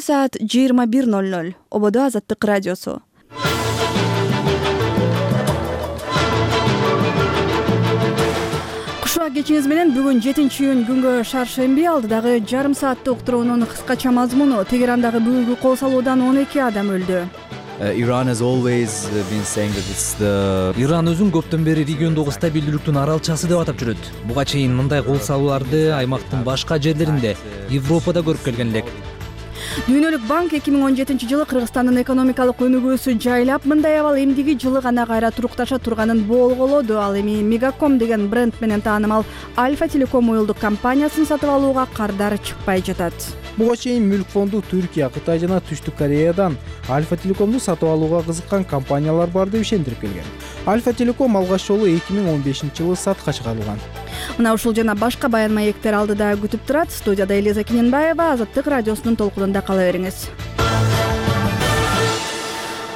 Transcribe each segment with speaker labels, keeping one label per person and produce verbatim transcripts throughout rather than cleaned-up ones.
Speaker 1: саат жыйырма бир ноль ноль. Ободо Азаттык радиосу. Кушак кечиңиз менен бүгүн жетинчи июнь күнгө шаршемби алдыдагы жарым сааттык уктуруунун кыскача мазмуну: Тегерандагы бүгүнкү кол салуудан он эки адам өлдү.
Speaker 2: Iran has always been saying that it's the
Speaker 3: Иран өзүн көптөн бери региондогу стабилдүүлүктүн аралчасы деп атап жүрөт. Буга чейин мындай кол салууларды аймактын башка жерлеринде, Европада көрүп келген элек.
Speaker 1: Дүйнөлүк банк эки миң он жетинчи жылы Кыргызстандын экономикалык өнүгүүсү жайлап, мындай абал эмдиги жылы гана кайра турукташа турганын болголоду. Ал эми Мегаком деген бренд менен таанымал Альфа Телеком уюлдук компаниясын сатып алууга кардар чыкпай жатат.
Speaker 4: Буга чейин Мүлк фонду Түркия, Кытай жана Түштүк Кореядан Альфа Телекомду сатып алууга кызыккан компаниялар бар деп ишендирип келген. Альфа Телеком алгач жолу эки миң он бешинчи жылы сатка чыгарылган.
Speaker 1: Мына ушул жана башка баян маектер алдыда күтүп турат. Студияда Элиза Киненбаева. Азаттык радиосунун толкунунда кала бериңиз.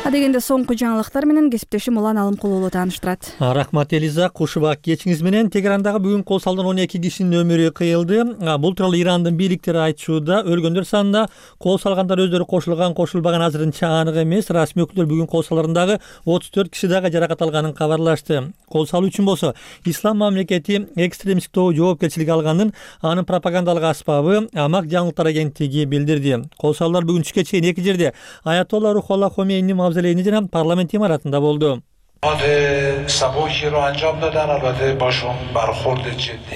Speaker 1: Адегенде соңку жаңылыктар менен кесиптешим Улан Алымкулуулу тааныштырат.
Speaker 5: Рахмат Элиза, кушубак кечиңиз менен. Тегерандагы бүгүн кол салган он эки кишинин өмүрү кыйылды. Бул тууралуу Ирандын бийликтери айтышууда. Өлгөндөр санында кол салгандар өздөрү кошулган, кошулбаган азырынча анык эмес. Расмий өкүлдөр бүгүн кол саларындагы отуз төрт киши дагы жаракат алганын кабарлашты. Кол салуу үчүн болсо Ислам мамлекети экстремисттик тобу жоопкерчилик алганын анын пропагандалык аспабы Амак жаңылыктар агенттиги билдирди. Кол салуулар бүгүн түшкө чейин эки жерде Аятолла Рухолла Хомейни мавзолейни жана парламент имаратында болду.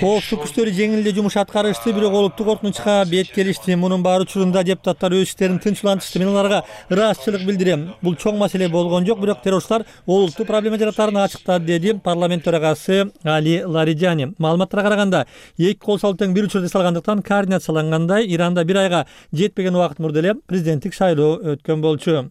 Speaker 5: Коопсуздук күчтөрү жеңил эле жумуш аткарышты, бирок олуттук коркунучка бет келишти. Мунун баары учурунда депутаттар өз иштерин тынчтантышты. Мен аларга ыраазычылык билдирем. Бул чоң маселе болгон жок, бирок террорчулар олуттуу проблема жаратарын ачыктады, деди парламент төрагасы Али Лариджани. Маалыматтарга караганда, эки кол салуу тең бир учурда эсалгандыктан координациялангандай Иранда бир айга жетпеген убакыт мурда эле президенттик шайлоо өткөн болчу.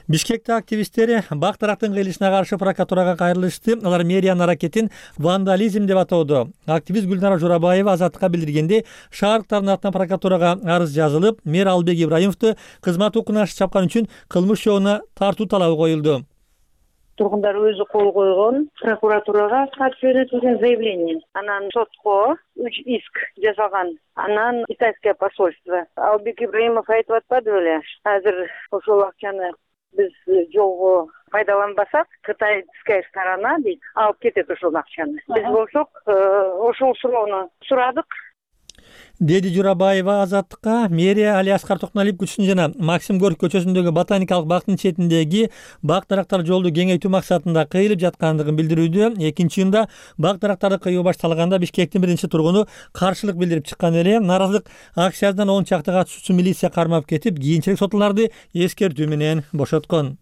Speaker 5: Бишкекте активисттери бак тарактын кыйылышына каршы прокуратурага кайрылышты. Алар мэриянын аракетин вандализм деп атоодо. Активист Гүлнара Журабаева Азаттыкка билдиргенде, шаардыктардын атынан прокуратурага арыз жазылып, мэр Албек Ибраимовду кызмат укугун чапкан үчүн кылмыш жообуна тартуу талабы коюлду.
Speaker 6: Тургундар өзү кол койгон прокуратурага катшы жөнөтүлгөн заявление. Анан сотко үч иск жасалган. Анан китайское посольство. Албек Ибраимов айтып атпады беле? Азыр ошол акчаны биз жолго пайдаланбасак, кытайская сторона дейт, алып кетет ошол акчаны. Биз болсок, ошол суроону сурадык.
Speaker 5: Деди Журабаева Азаттыкка. Мэрия Али Аскар Токнолиев көчөсүн жана Максим Горький көчөсүндөгү ботаникалык бактын четиндеги бак дарактар жолду кеңейтүү максатында кыйылып жаткандыгын билдирүүдө. Экинчи июнда бак дарактарды кыюу башталганда Бишкектин биринчи тургуну каршылык билдирип чыккан эле. Нааразылык акциясынан он чакты катышуучу милиция кармап кетип, кийинчерээк сотуларды эскертүү менен бошоткон.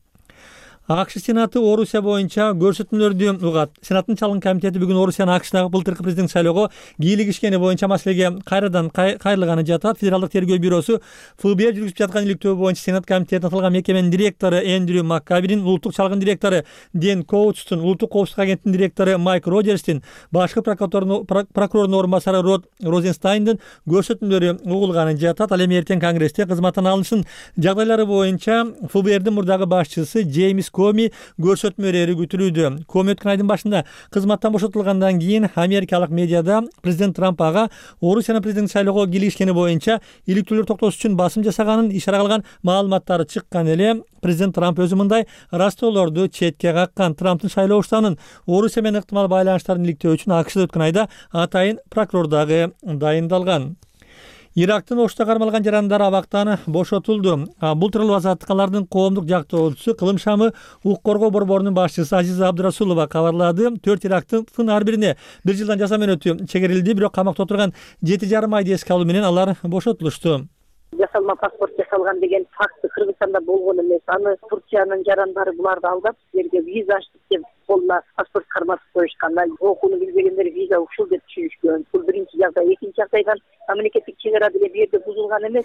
Speaker 5: АКШ Сенаты Орусия боюнча көрсөтмөлөрдү угат. Сенаттын чалгын комитети бүгүн Орусиянын АКШдагы былтыркы президенттик шайлоого кийлигишкени боюнча маселеге кайрадан кайрылганы жатат. Федералдык тергөө бюросу ФБР жүргүзүп жаткан иликтөө боюнча Сенат комитетине аталган мекеменин директору Эндрю Маккабирин, улуттук чалгын директору Ден Коутстун, улуттук коопсуздук агенттигинин директору Майк Роджерстин, башкы прокурордун орун басары Род Розенстайндын көрсөтмөлөрү угулганы жатат. Ал эми эртең Конгрессте кызматтан алынышын жагдайлары боюнча ФБРдин мурдагы башчысы Джеймс Коми көрсөтмө берери күтүлүүдө. Коми өткөн айдын башында кызматтан бошотулгандан кийин америкалык медиада президент Трамп ага Орусиянын президенттик шайлоого кийлигишкени боюнча иликтөөлөр токтотуш үчүн басым жасаганын ишара кылган маалыматтары чыккан эле. Президент Трамп өзү мындай растоолорду четке каккан. Трамптын шайлоо уштанын Орусия менен ыктымал байланыштарын иликтөө үчүн АКШда өткөн айда атайын прокурор дагы дайындалган. Ирактын Ошто кармалган жарандар абактан бошотулду. Бул тууралуу Азаттыкалардын коомдук жактоочусу Кылым шамы укук коргоо борборунун башчысы Азиза Абдырасулова кабарлады. Төрт Ирактын ар бирине бир жылдан жаза мөөнөтү чегерилди, бирок камакта отурган жети жарым айды эске алуу менен алар бошотулушту.
Speaker 6: Жасалма паспорт жасалган деген факты Кыргызстанда болгон эмес. Аны Турциянын жарандары буларды алдап, силерге виза ачтык деп колуна паспорт карматып коюшкан. Окууну билбегендер виза ушул деп түшүнүшкөн. Бул биринчи жагдай. Экинчи жагдайдан мамлекеттик чек ара деле бу жерде бузулган эмес.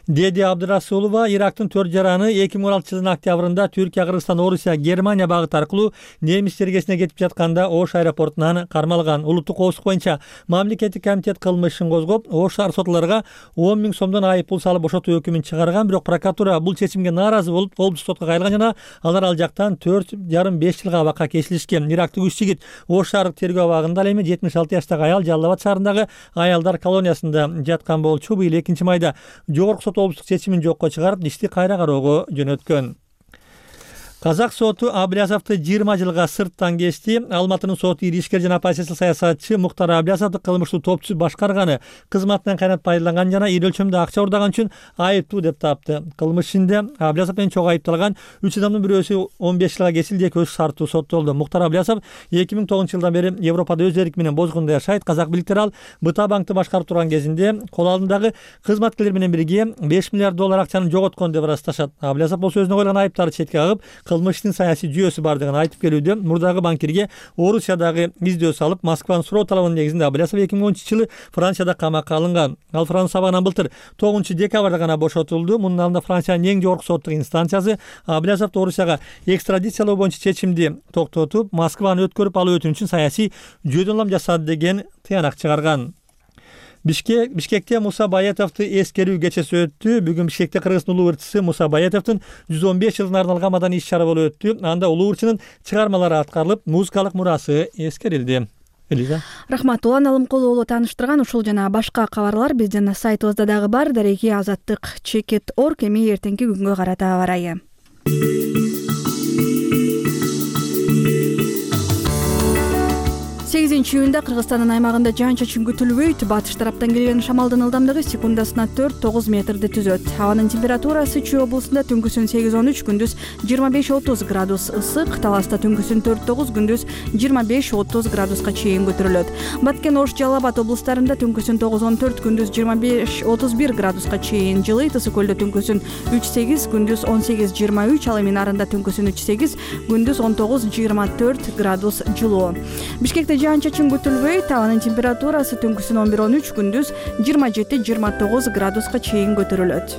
Speaker 5: деди Абдырасулова. Ирактын төрт жараны эки миң он алтынчы жылдын октябрында Түркия, Кыргызстан, Орусия, Германия багыты аркылуу немис чергесине кетип жатканда Ош аэропортунан кармалган. Улуттук коопсуздук боюнча мамлекеттик комитет кылмышын козгоп, Ош шаар сотлорго он миң сомдон айып пул салып бошотуу өкүмүн чыгарган, бирок прокуратура бул чечимге нааразы болуп, облустук сотко кайрылган жана алар ал жактан төрт жарым беш жылга абакка кесилишкен. Ирактык үч жигит Ош шаардык тергөө абагында, ал эми жетимиш алты жаштагы аял Жалал абад шаарындагы аялдар колониясында жаткан болчу. Быйыл экинчи майда жогорку жогорку сот облустук чечимин жокко чыгарып, ишти кайра кароого жөнөткөн. Казак соту Аблязовду жыйырма жылга сырттан кечти. Алматынын соту ири ишкер жана оппозициялык саясатчы Муктар Аблязовду кылмыштуу топчу башкарганы, кызматынан кайнат пайдаланган жана ири өлчөмдө акча урдаган үчүн айыптуу деп тапты. Кылмыш ишинде Аблязов менен чогуу айыпталган үч адамдын бирөөсү он беш жылга кесилди, экөөсү шарттуу соттолду. Муктар Аблязов эки миң тогузунчу жылдан бери Европада өз эрки менен бозгунда жашайт. Казак бийликтери ал Быта банкты башкарып турган кезинде кол алдындагы кызматкерлер менен бирге беш миллиард доллар акчаны жоготкон деп ырасташат. Аблязов болсо өзүнө койгон айыптарды четке кагып, кылмыштын саясий жүйөсү бардыгын айтып келүүдө. Мурдагы банкирге Орусиядагы издөө салып, Москванын суроо талабынын негизинде Аблязов эки миң онунчу жылы Францияда камакка алынган. Ал Франц сабагынан былтыр тогузунчу декабрда гана бошотулду. Мунун алдында Франциянын эң жогорку соттук инстанциясы Аблязовду Орусияга экстрадициялоо боюнча чечимди токтотуп, Москваны өткөрүп алуу өтүнүчүн саясий жүйөдөн улам жасады деген тыянак чыгарган. Бишкек Бишкекте Муса Баятовду эскерүү кечеси өттү. Бүгүн Бишкекте Кыргыздын улуу ырчысы Муса Баятовдун жүз он беш жылына арналган маданий иш-чара болуп өттү. Анда улуу ырчынын чыгармалары аткарылып, музыкалык мурасы эскерилди. Элиза.
Speaker 1: Рахмат. Улан Алымкулу уулу тааныштырган ушул жана башка кабарлар биздин сайтыбызда дагы бар. Дареги азаттык чекит точка орг. Эми эртеңки күнгө карата аба ырайы. сегизинчи июнда Кыргызстандын аймагында жаан-чачын күтүлбөйт. Батыш тараптан келген шамалдын ылдамдыгы секундасына төрт тогуз метрди түзөт. Абанын температурасы Чүй облусунда түнкүсүн сегиз он үч, күндүз жыйырма беш отуз градус ысык, Таласта түнкүсүн төрт тогуз, күндүз жыйырма беш отуз градуска чейин көтөрүлөт. Баткен, Ош, Жалал Абад облустарында түнкүсүн тогуз он төрт, күндүз жыйырма беш отуз бир градуска чейин жылыйт. Ысык көлдө түнкүсүн үч сегиз, күндүз он сегиз жыйырма үч, ал эми Нарында түнкүсүн үч сегиз, күндүз он тогуз жыйырма төрт градус жылуу. Бишкекте жаан-чачын күтүлбөйт. Абанын температурасы түнкүсүн он бир он үч, күндүз жыйырма жети жыйырма тогуз градуска чейин көтөрүлөт.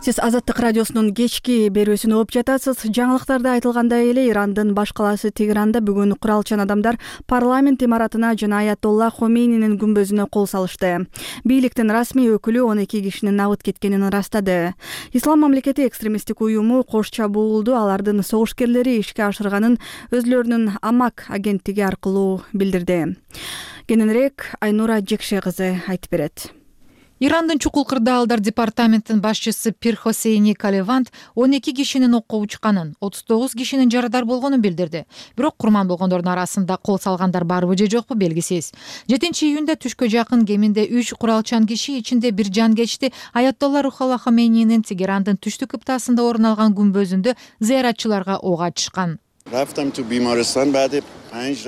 Speaker 1: Сиз Азаттык радиосунун кечки берүүсүн угуп жатасыз. Жаңылыктарда айтылгандай эле Ирандын баш калаасы Тегеранда бүгүн куралчан адамдар парламент имаратына жана Аятолла Хомейнинин күмбөзүнө кол салышты. Бийликтин расмий өкүлү он эки кишинин набыт кеткенин ырастады. Ислам мамлекети экстремисттик уюму кош чабуулду алардын согушкерлери ишке ашырганын өзүлөрүнүн Амак агенттиги аркылуу билдирди. Кененирээк Айнура Жекше кызы айтып берет.
Speaker 7: Ирандын чукул кырдаалдар департаментинин башчысы Пир Хосейни Калевант он эки кишинин окко учканын, отуз тогуз кишинин жарадар болгонун билдирди. Бирок курман болгондордун арасында кол салгандар барбы же жокпу белгисиз. жетинчи июнда түшкө жакын кеминде үч куралчан киши, ичинде бир жан кечти, Аятолла Рухалла Хомейнинин Тегерандын түштүк кыптасында орун алган күмбөзүндө зыяратчыларга ок ачышкан.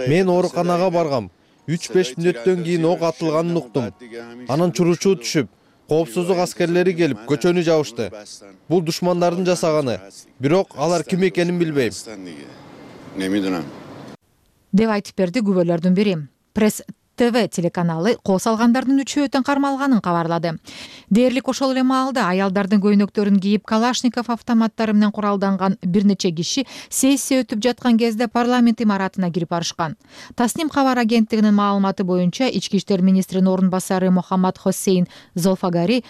Speaker 8: Мен ооруканага баргам. үч беш мүнөттөн кийин ок атылганын уктум. Анан чуручуу түшүп, коопсуздук аскерлери келип көчөнү жабышты. Бул душмандардын жасаганы. Бирок алар ким экенин билбейм.
Speaker 7: Деп айтып берди күбөлөрдүн бири. Пресс ТВ телеканалы кол салгандардын үчөөтөн кармалганын кабарлады. Дээрлик ошол эле маалда аялдардын көйнөктөрүн кийип Калашников автоматтары менен куралданган бир нече киши сессия өтүп жаткан кезде парламент имаратына кирип барышкан. Тасним кабар агенттигинин маалыматы боюнча ички иштер министринин орун басары Мухаммад Хосейн Золфагари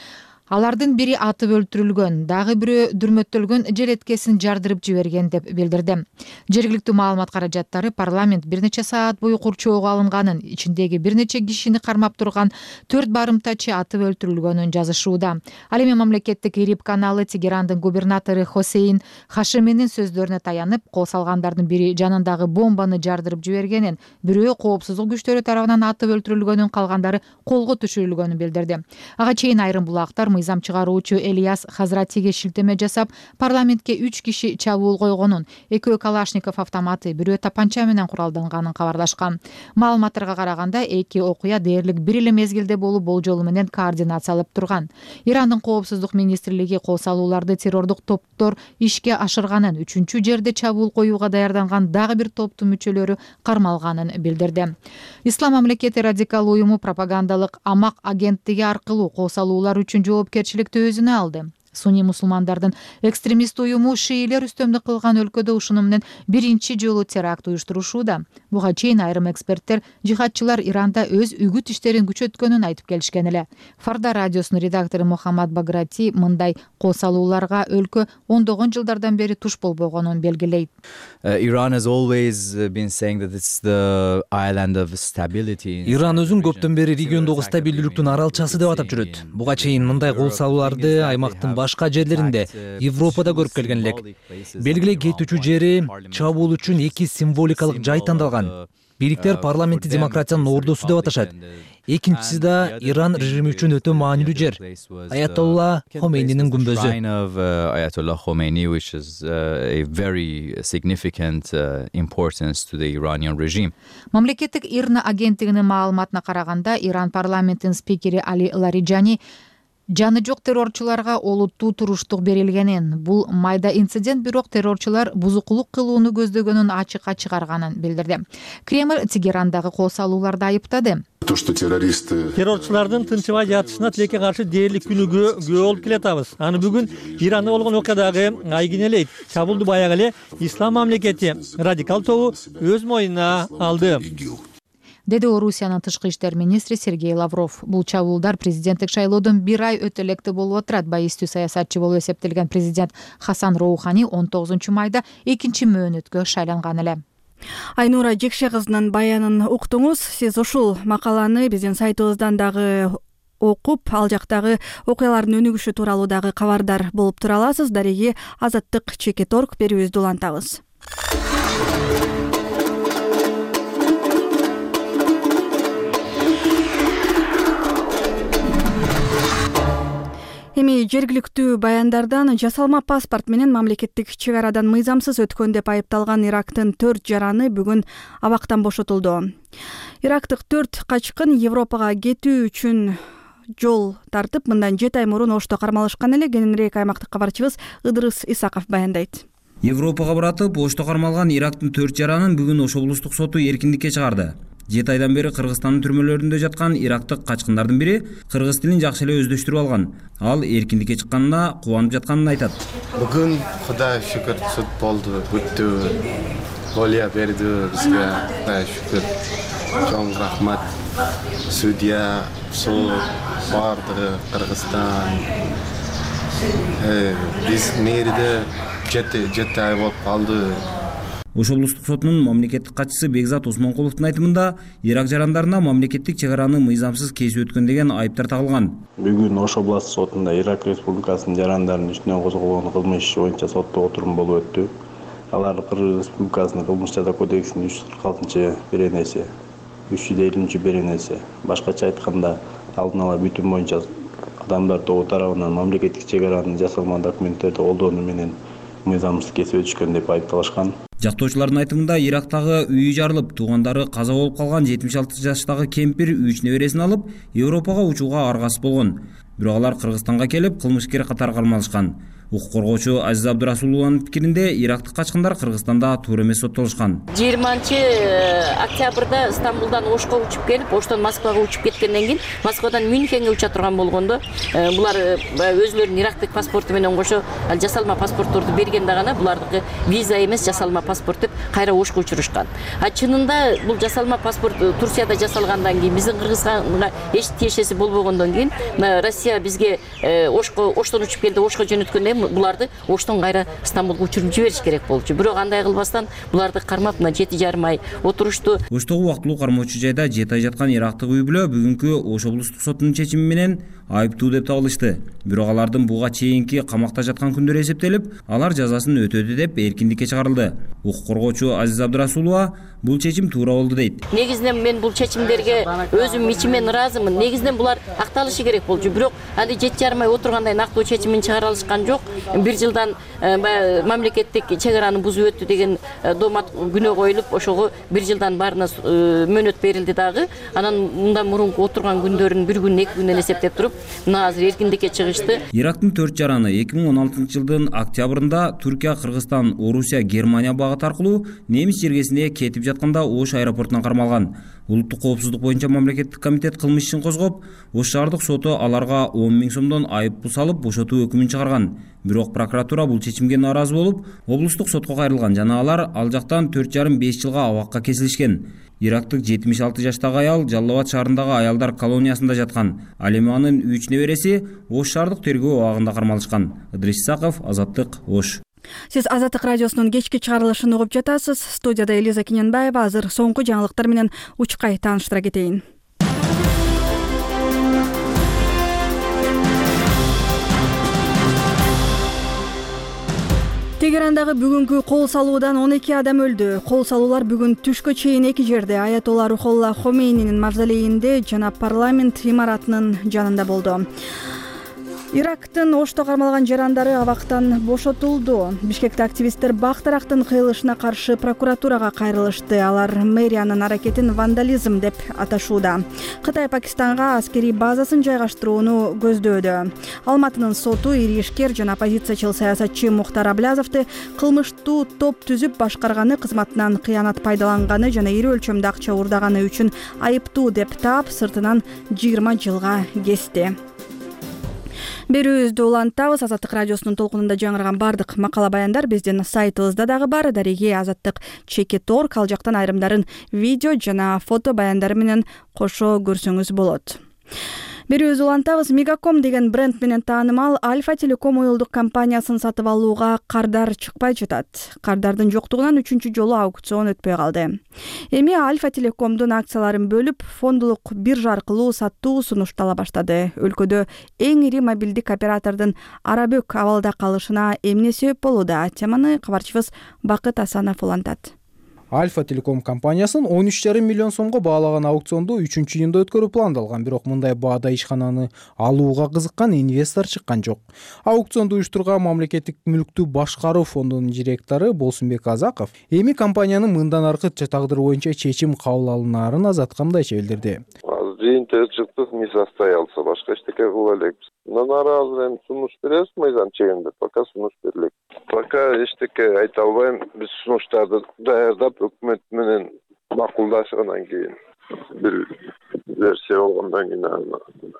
Speaker 7: алардын бири атып өлтүрүлгөн, дагы бирөө дүрмөттөлгөн желеткесин жардырып жиберген деп билдирди. Жергиликтүү маалымат каражаттары парламент бир нече саат бою курчоого алынганын, ичиндеги бир нече кишини кармап турган төрт барымтачы атып өлтүрүлгөнүн жазышууда. Ал эми мамлекеттик Ириб каналы Тегерандын губернатору Хосейн Хашиминин сөздөрүнө таянып, кол салгандардын бири жанындагы бомбаны жардырып жибергенин, бирөө коопсуздук күчтөрү тарабынан атып өлтүрүлгөнүн, калгандары колго түшүрүлгөнүн билдирди. Ага чейин айрым булактар мыйзам чыгаруучу Элияс Хазратиге шилтеме жасап, парламентке үч киши чабуул койгонун, экөө Калашников автоматы, бирөө тапанча менен куралданганын кабарлашкан. Маалыматтарга караганда эки окуя дээрлик бир эле мезгилде болуп, болжолу менен координациялап турган. Ирандын коопсуздук министрлиги кол салууларды террордук топтор ишке ашырганын, үчүнчү жерде чабуул коюуга даярданган дагы бир топтун мүчөлөрү кармалганын билдирди. Ислам мамлекети радикал уюму пропагандалык Амак агенттиги аркылуу кол салуулар үчүн жооп жоопкерчиликти өзүнө алды. Суний мусулмандардын экстремист уюму шиилер үстөмдүк кылган өлкөдө ушуну менен биринчи жолу теракт уюштурушууда. Буга чейин айрым эксперттер жихадчылар Иранда өз үгүт иштерин күчөткөнүн айтып келишкен эле. Фарда радиосунун редактору Мухаммад Баграти мындай кол салууларга өлкө ондогон жылдардан бери туш болбогонун белгилейт.
Speaker 2: Iran has always been saying that it's the island of stability.
Speaker 3: Иран өзүн көптөн бери региондогу стабилдүүлүктүн аралчасы деп атап жүрөт. Буга чейин мындай кол салууларды аймактын башка жерлеринде, Европада көрүп келген элек. Белгилей кетүүчү жери чабуул үчүн эки символикалык жай тандалган. Бириктер парламентти демократиянын ордосу деп аташат. Экинчиси да Иран режими үчүн өтө маанилүү жер. Аятолла Хомейнинин күмбөзү.
Speaker 2: Ayatollah Khomeini, which is a very significant importance to the Iranian regime.
Speaker 7: Мамлекеттик ИРНА агенттигинин маалыматына караганда, Иран парламентинин спикери Али Лариджани жаны жок террорчуларга олуттуу туруштук берилгенин, бул майда инцидент бирок террорчулар бузукулук кылууну көздөгөнүн ачыкка чыгарганын билдирди. Кремль Тегерандагы кол салууларды айыптады.
Speaker 5: Террорчулардын тынчыбай жатышына тилекке каршы дээрлик күнүгө күбө болуп келатабыз. Аны бүгүн Иранда болгон окуядагы айгинелейт. Чабуулду баягы эле Ислам мамлекети радикал тобу өз мойнуна алды, деди
Speaker 7: Орусиянын тышкы иштер министри Сергей Лавров. Бул чабуулдар президенттик шайлоодон бир ай өтө электе болуп отурат. Байыстуу саясатчы болуп эсептелген президент Хасан Роухани он тогузунчу майда экинчи мөөнөткө шайланган эле.
Speaker 1: Айнура Жекше кызынын баянын уктуңуз. Сиз ушул макаланы биздин сайтыбыздан дагы окуп, ал жактагы окуялардын өнүгүшү тууралуу дагы кабардар болуп тура аласыз. Дареги Азаттык Чекет орг берүүбүздү улантабыз. Эми жергиликтүү баяндардан жасалма паспорт менен мамлекеттик чек арадан мыйзамсыз өткөн деп айыпталган Ирактын төрт жараны бүгүн абактан бошотулду. Ирактык төрт качкын Европага кетүү үчүн жол тартып, мындан жети ай мурун Ошто кармалышкан эле. Кененирээк аймактык кабарчыбыз Ыдырыс Исаков баяндайт.
Speaker 9: Европага баратып, Ошто кармалган Ирактын төрт жаранын бүгүн Ош облустук соту эркиндикке чыгарды. жети айдан бери Кыргызстандын түрмөлөрүндө жаткан ирактык качкындардын бири кыргыз тилин жакшы эле өздөштүрүп алган. Ал эркиндикке чыкканына кубанып жатканын айтат.
Speaker 10: Бүгүн Кудай шүкүр суд болду, бүттү. Болия берди бизге. Кудай шүкүр. Чоң рахмат. Судья, суд, бардыгы Кыргызстан. Э, биз мэрде жети жети ай болуп калды.
Speaker 9: Ош облустук сотунун мамлекеттик катчысы Бекзат Усманкуловдун айтымында, Ирак жарандарына мамлекеттик чек араны мыйзамсыз кесип өткөн деген айыптар тагылган.
Speaker 11: Бүгүн Ош областык сотунда Ирак Республикасынын жарандарынын үстүнөн козголгон кылмыш иши боюнча соттоо отурум болуп өттү. Алар Кыргыз Республикасынын кылмыш жаза кодексинин үч жүз кырк алтынчы беренеси, үч жүз элүүнчү беренеси, башкача айтканда алдын ала бүтүн боюнча адамдар тобу тарабынан мамлекеттик чек аранын жасалма документтерди колдонуу менен мыйзамсыз кесип өтүшкөн деп айыпталышкан.
Speaker 9: Жактоочулардын айтымында, Ирактагы үйү жарылып, туугандары каза болуп калган жетимиш алты жаштагы кемпир үч небересин алып, Европага учууга аргасыз болгон. Бирок алар Кыргызстанга келип, кылмышкер катары кармалышкан. Укук коргоочу Азиз Абдырасулованын пикиринде, ирактык качкындар Кыргызстанда туура эмес соттолушкан.
Speaker 12: жыйырманчы октябрда Стамбулдан Ошко учуп келип, Оштон Москвага учуп кеткенден кийин Москвадан Мюнхенге уча турган болгондо, булар өзүлөрүнүн ирактык паспорту менен кошо жасалма паспортторду бергенде гана булардыкы виза эмес жасалма паспорт деп кайра Ошко учурушкан. А чынында бул жасалма паспорт Турцияда жасалгандан кийин, биздин Кыргызстанга эч тиешеси болбогондон кийин Россия бизге Ошко Оштон учуп келди, Ошко жөнөткөндө буларды Оштон кайра Стамбулга учуруп жибериш керек болчу. Бирок андай кылбастан буларды кармап мына жети жарым ай отурушту.
Speaker 9: Оштогу убактылуу кармоочу жайда жети ай жаткан ирактык үй бүлө бүгүнкү Ош облустук сотунун чечими менен айыптуу деп табылышты. Бирок алардын буга чейинки камакта жаткан күндөрү эсептелип, алар жазасын өтөдү деп эркиндикке чыгарылды. Укук коргоочу Азиз Абдырасулова бул чечим туура болду дейт.
Speaker 12: Негизинен мен бул чечимдерге өзүм ичимен ыраазымын. Негизинен булар акталышы керек болчу. Бирок аны жети жарым ай отургандай нактуу чечимин чыгара алышкан жок. Бир жылдан мамлекеттик чек араны бузуп өттү деген домат күнөө коюлуп, ошого бир жылдан баарына мөөнөт берилди дагы. Анан мындан мурунку отурган күндөрүн бир күн, эки күндөн эсептеп туруп, мына азыр эркиндикке чыгышты.
Speaker 9: Ирактын төрт жараны эки миң он алтынчы жылдын октябрында Түркия, Кыргызстан, Орусия, Германия багыты аркылуу немис жергесине кетип жатканда Ош аэропортунан кармалган. Улуттук коопсуздук боюнча мамлекеттик комитет кылмыш ишин козгоп, Ош шаардык соту аларга он миң сомдон айыппул салып, бошотуу өкүмүн чыгарган. Бирок прокуратура бул чечимге нааразы болуп, облустук сотко кайрылган жана алар ал жактан төрт жарым беш жылга абакка кесилишкен. Ирактык жетимиш алты жаштагы аял Жалал Абад шаарындагы аялдар колониясында жаткан. Ал эми анын үч небереси Ош шаардык тергөө абагында кармалышкан. Ыдрис Исаков, Азаттык, Ош.
Speaker 1: Сиз Азаттык радиосунун кечки чыгарылышын угуп жатасыз. Студияда Элиза Кененбаева. Азыр соңку жаңылыктар менен учкай тааныштыра кетейин. Тегерандагы бүгүнкү кол салуудан он эки адам өлдү. Кол салуулар бүгүн түшкө чейин эки жерде Аятолла Рухолла Хомейнинин мавзолейинде жана парламент имаратынын жанында болду. Ирактын Ошто кармалган жарандары абактан бошотулду. Бишкекте активисттер бак тарактын кыйылышына каршы прокуратурага кайрылышты. Алар мэриянын аракетин вандализм деп аташууда. Кытай Пакистанга аскерий базасын жайгаштырууну көздөөдө. Алматынын соту ири ишкер жана оппозициячыл саясатчы Мухтар Аблязовду кылмыштуу топ түзүп башкарганы, кызматынан кыянат пайдаланганы жана ири өлчөмдө акча уурдаганы үчүн айыптуу деп таап, сыртынан жыйырма жылга кести. Берүүбүздү улантабыз. Азаттык радиосунун толкунунда жаңырган бардык макала баяндар биздин сайтыбызда дагы бар. Дареги Азаттык чекит орг, ал жактан айрымдарын видео жана фото баяндары менен кошо көрсөңүз болот. Берүүбүздү улантабыз. Мегаком деген бренд менен таанымал Альфа Телеком уюлдук компаниясын сатып алууга кардар чыкпай жатат. Кардардын жоктугунан үчүнчү жолу аукцион өтпөй калды. Эми Альфа Телекомдун акцияларын бөлүп, фондулук биржа аркылуу сатуу сунуштала баштады. Өлкөдө эң ири мобилдик оператордун арабөк абалда калышына эмне себеп болууда? Теманы кабарчыбыз Бакыт Асанов улантат.
Speaker 4: Альфа Телеком компаниясын он үч жарым миллион сомго баалаган аукционду үчүнчү июнда өткөрүү пландалган, бирок мындай баада ишкананы алууга кызыккан инвестор чыккан жок. Аукционду уюштурган мамлекеттик мүлктү башкаруу фондунун директору Болсунбек Азаков эми компаниянын мындан аркы тагдыры боюнча чечим кабыл алынаарын Азатка мындайча билдирди.
Speaker 13: Жыйынтыгы чыктык, не состоялся, башка эчтеке кыла элекпиз. Наразы эми сунуш беребиз мыйзам чегинде, пока сунуш берилет. Пока эчтеке айта албайм. Биз сунуштарды даярдап, өкмөт менен макулдашгандан кийин бир версия болгондон кийин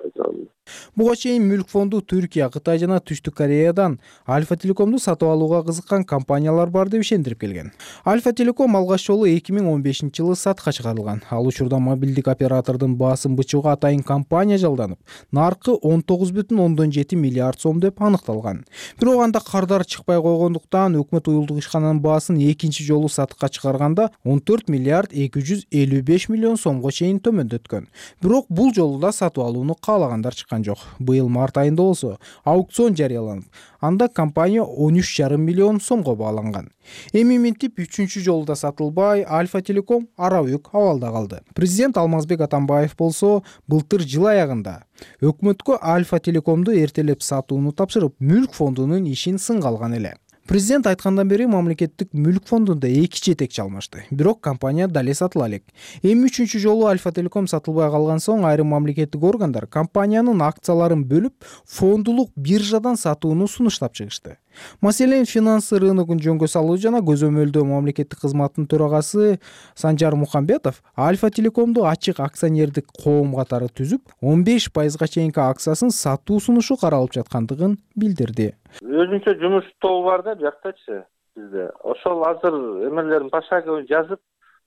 Speaker 13: айтам.
Speaker 4: Буга чейин Мүлк фонду Түркия, Кытай жана Түштүк Кореядан Альфа Телекомду сатып алууга кызыккан компаниялар бар деп ишендирип келген. Альфа Телеком алгач жолу эки миң он бешинчи жылы сатка чыгарылган. Ал учурда мобилдик оператордун баасын бычууга атайын компания жалданып, наркы он тогуз бүтүн ондон жети миллиард сом деп аныкталган. Бирок анда кардар чыкпай койгондуктан өкмөт уюлдук ишкананын баасын экинчи жолу сатка чыгарганда он төрт миллиард эки жүз элүү беш миллион сомго чейин төмөндөткөн. Бирок бул жолу да сатып алууну каалагандар чыккан жок. Быйыл март айында болсо аукцион жарыяланып, анда компания он үч жарым миллион сомго бааланган. Эми минтип үчүнчү жолу да сатылбай, Альфа Телеком арабөк абалда калды. Президент Алмазбек Атамбаев болсо былтыр жыл аягында өкмөткө Альфа Телекомду эртелеп сатууну тапшырып, Мүлк фондунун ишин сынга алган эле. Президент айткандан бери мамлекеттик Мүлк фондунда эки жетекчи алмашты. Бирок компания дале сатыла элек. Эми үчүнчү жолу Альфа Телеком сатылбай калган соң айрым мамлекеттик органдар компаниянын акцияларын бөлүп, фондулук биржадан сатууну сунуштап чыгышты. Маселен, финансы рыногун жөнгө салуу жана көзөмөлдөө мамлекеттик кызматтын төрагасы Санжар Мухамбетов Альфа Телекомду ачык акционердик коом катары түзүп, он беш пайызга чейинки акциясын сатуу сунушу каралып жаткандыгын билдирди.
Speaker 14: Өзүнчө жумуш тобу бар да жактачы бизде. Ошол азыр эмелерин пошаговый жазып,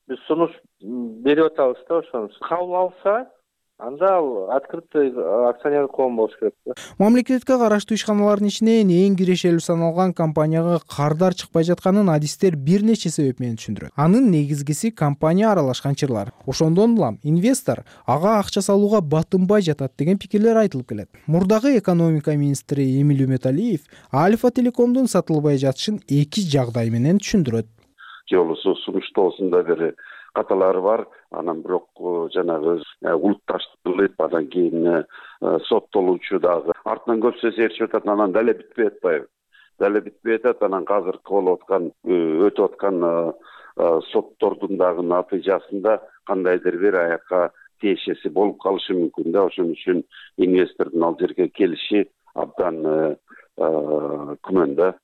Speaker 14: биз сунуш берип атабыз да, ошону кабыл алса, анда ал открытый акционер коом болуш керек да.
Speaker 4: Мамлекетке караштуу ишканалардын ичинен эң кирешелүү саналган компанияга кардар чыкпай жатканын адистер бир нече себеп менен түшүндүрөт. Анын негизгиси компания аралашкан чырлар. Ошондон улам инвестор ага акча салууга батынбай жатат деген пикирлер айтылып келет. Мурдагы экономика министри Эмиль Үмөталиев Альфа Телекомдун сатылбай жатышын эки жагдай менен түшүндүрөт.
Speaker 13: Жолусу сунуштоосунда бери каталары бар, анан бирок жанагы улутташтырылып, андан кийин соттолуучу дагы артынан көп сөз ээрчип атат, анан дале бүтпөй атпайбы? Дале бүтпөй атат, анан азыркы болуп аткан, өтүп аткан соттордун дагы натыйжасында кандайдыр бир аякка тиешеси болуп калышы мүмкүн да. Ошон үчүн инвестордун ал жерге келиши абдан күмөн да.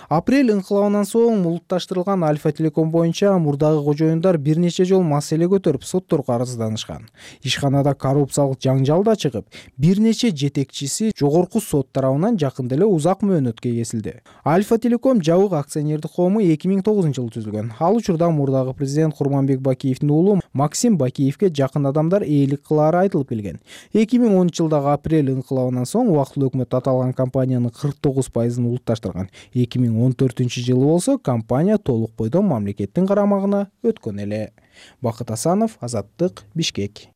Speaker 4: Апрель ыңкылабынан соң улутташтырылган Альфа Телеком боюнча мурдагы кожоюндар бир нече жолу маселе көтөрүп сотторго арызданышкан. Ишканада коррупциялык жаңжал да чыгып, бир нече жетекчиси жогорку сот тарабынан жакында эле узак мөөнөткө кесилди. Альфа Телеком жабык акционердик коому эки миң тогузунчу жылы түзүлгөн. Ал учурда мурдагы президент Курманбек Бакиевдин уулу Максим Бакиевке жакын адамдар ээлик кылаары айтылып келген. эки миң онунчу жылдагы апрель ыңкылабынан соң убактылуу өкмөт аталган компаниянын кырк тогуз пайызын улутташтырган. эки миң он төртүнчү жылы болсо компания толук бойдон мамлекеттин карамагына өткөн эле. Бакыт Асанов, Азаттык, Бишкек.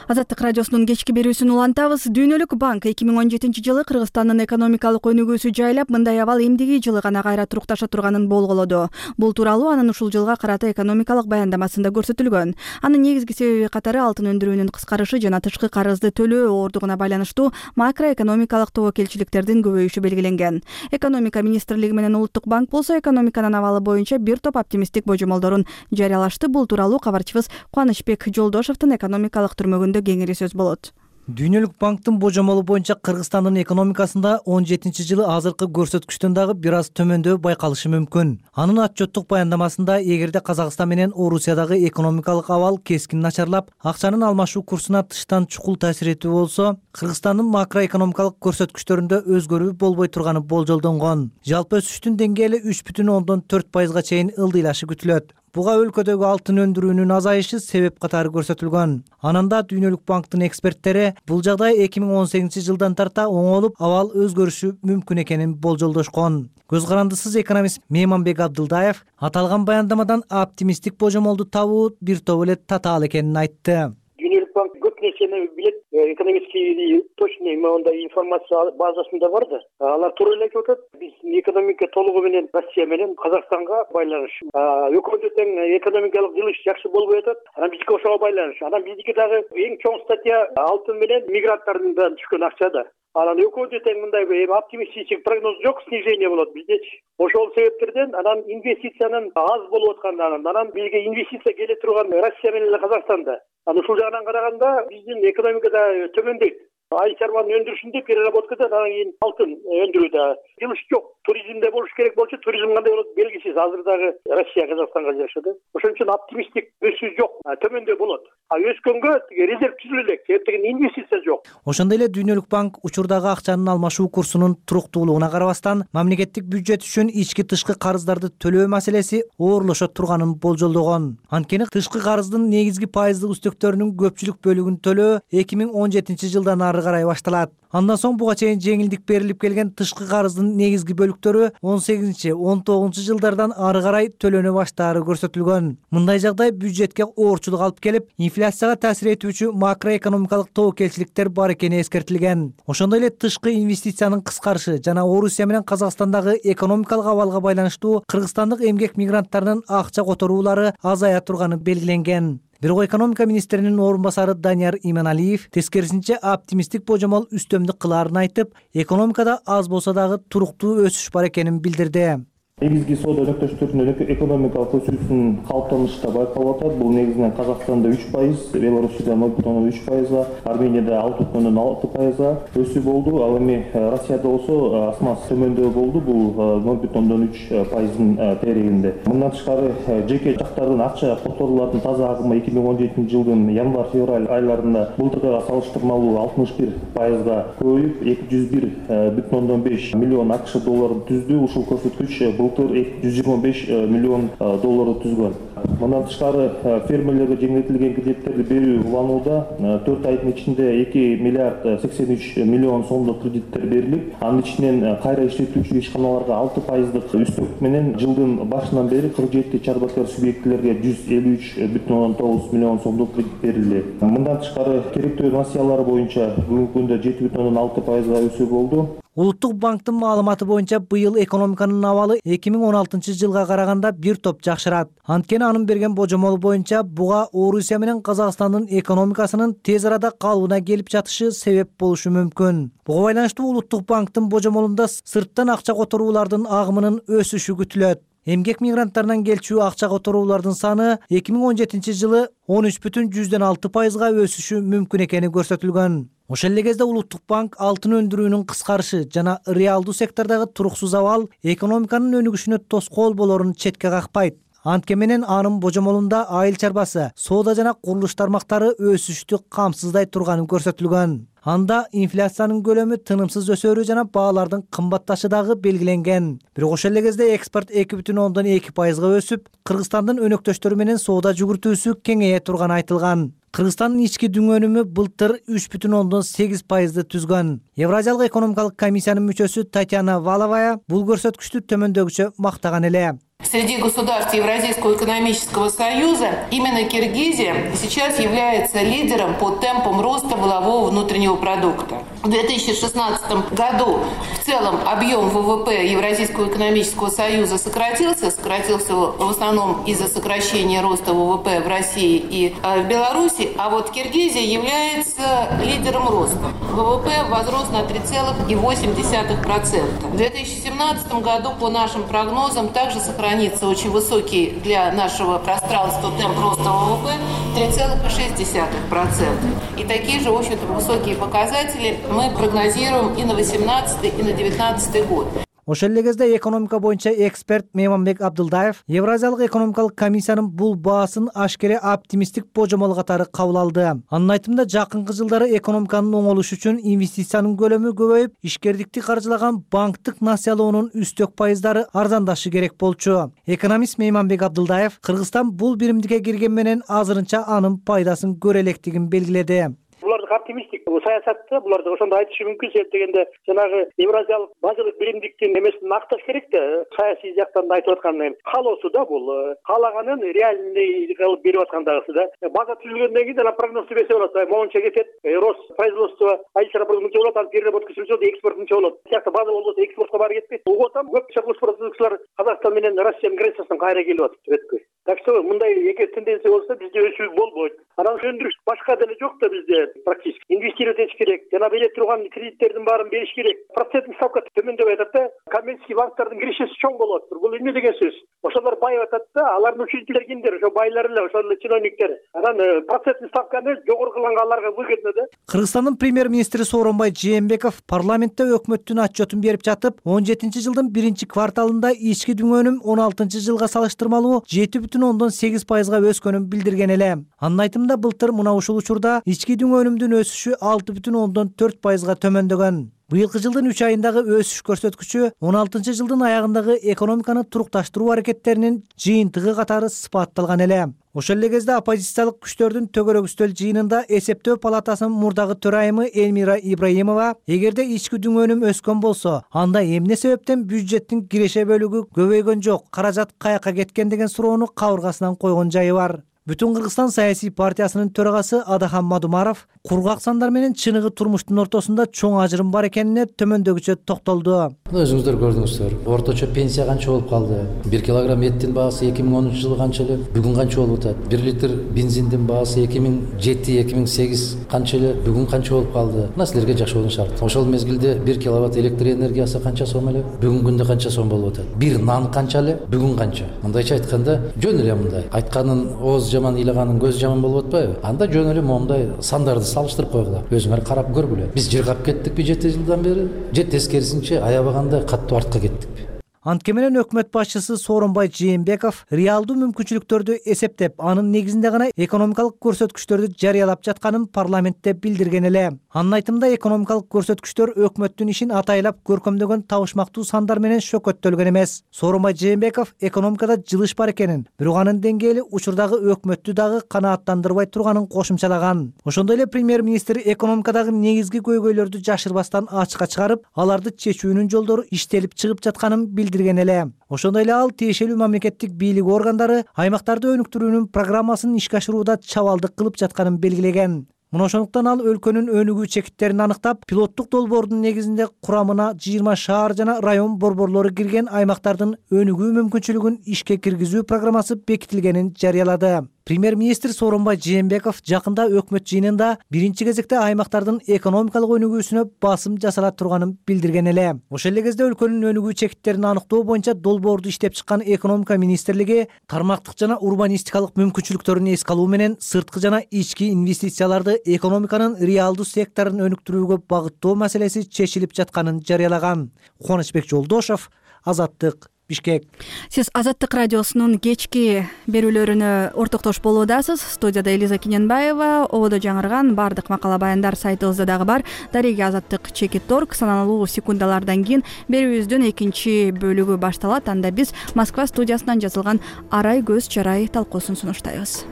Speaker 1: Азаттык радиосунун кечки берүүсүн улантабыз. Дүйнөлүк банк эки миң он жетинчи жылы Кыргызстандын экономикалык өнүгүүсү жайлап, мындай абал эмдиги жылы гана кайра турукташа турганын болголоду. Бул тууралуу анын ушул жылга карата экономикалык баяндамасында көрсөтүлгөн. Анын негизги себеби катары алтын өндүрүүнүн кыскарышы жана тышкы карызды төлөө оордугуна байланыштуу макроэкономикалык тобокелчиликтердин көбөйүшү белгиленген. Экономика министрлиги менен Улуттук банк болсо экономиканын абалы боюнча бир топ оптимисттик божомолдорун жарыялашты. Бул тууралуу кабарчыбыз Кубанычбек Жолдошовдун экономикалык түрмөгүндө кеңири сөз болот.
Speaker 3: Дүйнөлүк банктын божомолу боюнча Кыргызстандын экономикасында он жетинчи жылы азыркы көрсөткүчтөн дагы бир аз төмөндөө байкалышы мүмкүн. Анын отчеттук баяндамасында эгерде Казакстан менен Орусиядагы экономикалык абал кескин начарлап, акчанын алмашуу курсуна тыштан чукул таасир этүү болсо, Кыргызстандын макроэкономикалык көрсөткүчтөрүндө өзгөрүү болбой турганы болжолдонгон. Жалпы өсүштүн деңгээли үч бүтүн ондон төрт пайызга чейин ылдыйлашы күтүлөт. Буга өлкөдөгү алтын өндүрүүнүн азайышы себеп катары көрсөтүлгөн. Ананда Дүйнөлүк банктын эксперттери бул жагдай эки миң он сегизинчи жылдан тарта оңолуп, абал өзгөрүшү мүмкүн экенин болжолдошкон. Көз карандысыз экономист Мейманбек Абдылдаев аталган баяндамадан оптимисттик божомолду табуу бир топ эле татаал экенин айтты.
Speaker 15: Дүйнөлүк банк көп нерсени билет, экономический точный мондай информация базасында бар да. Алар туура эле айтып атат. Биз экономика толугу менен Россия менен Казакстанга байланыш. Өкмөттү тең экономикалык жылыш жакшы болбой атат. Анан бизге ошого байланыш. Анан биздики дагы эң чоң статья алтын менен мигранттардын түшкөн акча да. Анан өкмөттү тең мындай оптимистичек прогноз жок, снижение болот биздечи. Ошол себептерден анан инвестициянын аз болуп аткандан анан бизге инвестиция келе турган Россия менен Казакстанда. Анан ушул жагынан караганда биздин экономикада төмөндөйт. Ай чарбанын өндүрүшүндө переработкада анан кийин алтын өндүрүүдө жылыш жок. Туризмде болуш керек болчу, туризм кандай болот белгисиз. Азыр дагы Россия Казакстанга жашады. Ошон үчүн оптимисттик өсүү жок, төмөндө болот. А өскөнгө резерв түзүлө элек, себептен инвестиция жок.
Speaker 3: Ошондой эле Дүйнөлүк банк учурдагы акчанын алмашуу курсунун туруктуулугуна карабастан, мамлекеттик бюджет үчүн ички тышкы карыздарды төлөө маселеси оорлошо турганын болжолдогон. Анткени тышкы карыздын негизги пайыздык үстөктөрүнүн көпчүлүк бөлүгүн төлөө эки миң он жетинчи жылдан ары карай башталат. Андан соң буга чейин жеңилдик берилип келген тышкы карыздын негизги бөлүктөрү он сегизинчи он тогузунчу жылдардан ары карай төлөнө баштаары көрсөтүлгөн. Мындай жагдай бюджетке оорчулук алып келип, инфляцияга таасир этүүчү макроэкономикалык тобокелчиликтер бар экени эскертилген. Ошондой эле тышкы инвестициянын кыскарышы жана Орусия менен Казакстандагы экономикалык абалга байланыштуу кыргызстандык эмгек мигранттарынын акча которуулары азая турганы белгиленген. Бирок экономика министринин орун басары Данияр Иманалиев тескерисинче оптимисттик божомол үстөмдүк кылаарын айтып, экономикада аз болсо дагы туруктуу өсүш бар экенин билдирди.
Speaker 16: Негизги соода өнөктөштөрүнүн экономикалык өсүүсүнүн калыптанышында байкалып атат. Бул негизинен Казакстанда үч пайыз, Белоруссияда ноль бүтүн ондон үч пайызга, Арменияда алты бүтүн ондон алты пайызга өсүү болду. Ал эми Россияда болсо асмас төмөндөө болду. Бул ноль бүтүн ондон үч пайыздын терегинде. Мындан тышкары жеке жактардын акча которуулардын таза агымы эки миң он жетинчи жылдын январь-февраль айларында былтыркыга салыштырмалуу алтымыш бир пайызга көбөйүп, эки жүз бир бүтүн ондон беш миллион АКШ долларын түздү. Ушул көрсөткүч былтыр жүз жыйырма беш миллион долларды түзгөн. Мындан тышкары фермерлерге жеңилдетилген кредиттерди берүү уланууда. төрт айдын ичинде эки миллиард сексен үч миллион сомдук кредиттер берилип, анын ичинен кайра иштетүүчү ишканаларга алты пайыздык үстөк менен жылдын башынан бери кырк жети чарбакер субъектилерге жүз элүү үч бүтүн ондон тогуз миллион сомдук кредит берилди. Мындан тышкары керектөө насыялар боюнча бүгүнкү күндө жети бүтүн ондон алты пайызга өсүү болду.
Speaker 3: Улуттук банктын маалыматы боюнча быйыл экономиканын абалы эки миң он алтынчы жылга караганда бир топ жакшырат. Анткени анын берген божомолу боюнча буга Орусия менен Казакстандын экономикасынын тез арада калыбына келип жатышы себеп болушу мүмкүн. Буга байланыштуу Улуттук банктын божомолунда сырттан акча которуулардын агымынын өсүшү күтүлөт. эмгек мигранттарынан келчү акча которуулардын саны эки миң он жетинчи жылы он үч бүтүн жүздөн алты пайызга өсүшү мүмкүн экени көрсөтүлгөн. Ошол эле кезде Улуттук банк алтын өндүрүүнүн кыскарышы жана реалдуу сектордогу туруксуз абал экономиканын өнүгүшүнө тоскоол болорун четке какпайт. Анткени менен анын божомолунда айыл чарбасы, соода жана курулуш тармактары өсүштү камсыздай турганын көрсөтүлгөн. Анда инфляциянын көлөмү тынымсыз өсөрү жана баалардын кымбатташы дагы белгиленген. Бирок ошол эле кезде экспорт эки бүтүн ондон эки пайызга өсүп, Кыргызстандын өнөктөштөрү менен соода жүгүртүүсү кеңейе турганы айтылган. Кыргызстандын ички дүң өнүмү былтыр үч бүтүн ондон сегиз пайызды түзгөн. Евразиялык экономикалык комиссиянын мүчөсү Татьяна Валовая бул көрсөткүчтү төмөндөгүчө мактаган эле.
Speaker 17: Среди государств Евразийского экономического союза именно Киргизия сейчас является лидером по темпам роста валового внутреннего продукта. В две тысячи шестнадцатом году в целом объем ВВП Евразийского экономического союза сократился, сократился в основном из-за сокращения роста ВВП в России и в Беларуси, а вот Киргизия является лидером роста. ВВП возрос на три целых восемь десятых процента. В две тысячи семнадцатом году, по нашим прогнозам, также сохранится очень высокий для нашего пространства темп роста ВВП три целых шесть десятых процента. И такие же, в общем-то, высокие показатели мы прогнозируем и на восемнадцатый, и на девятнадцатый год.
Speaker 3: Ошол эле кезде экономика боюнча эксперт Мейманбек Абдылдаев Евразиялык экономикалык комиссиянын бул баасын ашкере оптимисттик божомол катары кабыл алды. Анын айтымында жакынкы жылдары экономиканын оңолушу үчүн инвестициянын көлөмү көбөйүп, ишкердикти каржылаган банктык насыялоонун үстөк пайыздары арзандашы керек болчу. Экономист Мейманбек Абдылдаев Кыргызстан бул биримдикке кирген менен азырынча анын пайдасын көрө элекдигин белгиледи.
Speaker 15: Булардык оптимисттик саясатты буларды ошондой айтышы мүмкүн, себеп дегенде жанагы евразиялык базалык биримдиктин эмесин акташ керек да, саясий жактан да айтып аткан каалоосу да бул, каалаганын реальный кылып берип аткан дагысы да. База түзүлгөндөн кийин ана прогноз түзбөсө болот, моунча кетет, рост производство айыл чарбасы мынча болот, анан переработка мынча, экспорт мынча болот. Сыяктуу база болбосо экспортко баары кетпейт. Уготам көп продукциялар Казакстан менен Россиянын границасынан кайра келип атат өткөй. Так что мындай эгер тенденция болсо бизде өсүү болбойт. Анан өндүрүш башка деле жок да бизде практически. Инвестировать этиш керек, жана бере турган кредиттердин баарын бериш керек. Проценттик ставка төмөндөп атат да, коммерческий банктардын киришеси чоң болот. Бул эмне деген сөз? Ошолор байып атат да, алардын учредителери кимдер? Ошо байлар эле, ошол чиновниктер. Анан проценттик ставканы жогору кылганга аларга выгодно да.
Speaker 3: Кыргызстандын премьер-министри Сооронбай Жээнбеков парламентте өкмөттүн отчетун берип жатып, он жетинчи жылдын биринчи кварталында ички дүң өнүм он алтынчы жылга салыштырмалуу жети бүтүн ондон сегиз пайызга өскөнүн билдирген эле. Анын айтымында былтыр мына ушул учурда ички дүң өнүмдүн өсүшү алты бүтүн ондон төрт пайызга төмөндөгөн. Быйылкы жылдын үч айындагы өсүш көрсөткүчү он алтынчы жылдын аягындагы экономиканы турукташтыруу аракеттеринин жыйынтыгы катары сыпатталган эле. Ошол эле кезде оппозициялык күчтөрдүн төгөрөк үстөл жыйынында эсептөө палатасынын мурдагы төрайымы Эльмира Ибраимова эгерде ички дүң өнүм өскөн болсо, анда эмне себептен бюджеттин киреше бөлүгү көбөйгөн жок, каражат каяка кеткен деген суроону кабыргасынан койгон жайы бар. Бүтүн Кыргызстан саясий партиясынын төрагасы Адахан Мадумаров кургак сандар менен чыныгы турмуштун ортосунда чоң ажырым бар экенине төмөндөгүчө токтолду.
Speaker 18: Өзүңүздөр көрдүңүздөр, орточо пенсия канча болуп калды? бир килограмм эттин баасы эки миң онунчу жылы канча эле, бүгүн канча болуп атат? бир литр бензиндин баасы эки миң жети эки миң сегиз канча эле, бүгүн канча болуп калды? Мына силерге жакшы болуш шарт. Ошол мезгилде бир киловатт электр энергиясы канча сом эле, бүгүнкү күндө канча сом болуп атат? Бир нан канча эле, бүгүн канча? Мындайча айтканда, жөн эле мындай. Айтканын ооз жаман, ыйлаганын көз жаман болуп атпайбы? Анда жөн эле момундай сандарды салыштырып койгула. Өзүңөр карап көргүлө. Биз жыргап кеттикпи жети жылдан бери? Же тескерисинче аябаганда каттуу артка кеттикпи?
Speaker 3: Анткени менен өкмөт башчысы Сооронбай Жээнбеков реалдуу мүмкүнчүлүктөрдү эсептеп, анын негизинде гана экономикалык көрсөткүчтөрдү жарыялап жатканын парламентте билдирген эле. Анын айтымында экономикалык көрсөткүчтөр өкмөттүн ишин атайлап көркөмдөгөн табышмактуу сандар менен шөкөттөлгөн эмес. Сооронбай Жээнбеков экономикада жылыш бар экенин, бирок анын деңгээли учурдагы өкмөттү дагы канааттандырбай турганын кошумчалаган. Ошондой эле премьер-министр экономикадагы негизги көйгөйлөрдү жашырбастан ачыкка чыгарып, аларды чечүүнүн жолдору иштелип чыгып жатканын билдирген эле. Ошондой эле ал тиешелүү мамлекеттик бийлик органдары аймактарды өнүктүрүүнүн программасын ишке ашырууда чабалдык кылып жатканын белгилеген. Мына ошондуктан ал өлкөнүн өнүгүү чекиттерин аныктап, пилоттук долбоордун негизинде курамына жыйырма шаар жана район борборлору кирген аймактардын өнүгүү мүмкүнчүлүгүн ишке киргизүү программасы бекитилгенин жарыялады. Премьер-министр Сооронбай Жээнбеков жакында өкмөт жыйынында биринчи кезекте аймактардын экономикалык өнүгүүсүнө басым жасала турганын билдирген эле. Ошол эле кезде өлкөнүн өнүгүү чекиттерин аныктоо боюнча долбоорду иштеп чыккан экономика министрлиги тармактык жана урбанистикалык мүмкүнчүлүктөрүн эске алуу менен сырткы жана ички инвестицияларды экономиканын реалдуу секторун өнүктүрүүгө багыттоо маселеси чечилип жатканын жарыялаган. Кубанычбек Жолдошов, Азаттык, Бишкек.
Speaker 1: Сиз Азаттык радиосунун кечки берүүлөрүнө ортоктош болуудасыз. Студияда Элиза Кененбаева. Ободо жаңырган бардык макала баяндар сайтыбызда дагы бар. Дареги Азаттык чекит орг. Саналуу секундалардан кийин берүүбүздүн экинчи бөлүгү башталат. Анда биз Москва студиясынан жазылган Арай көз чарай талкуусун сунуштайбыз.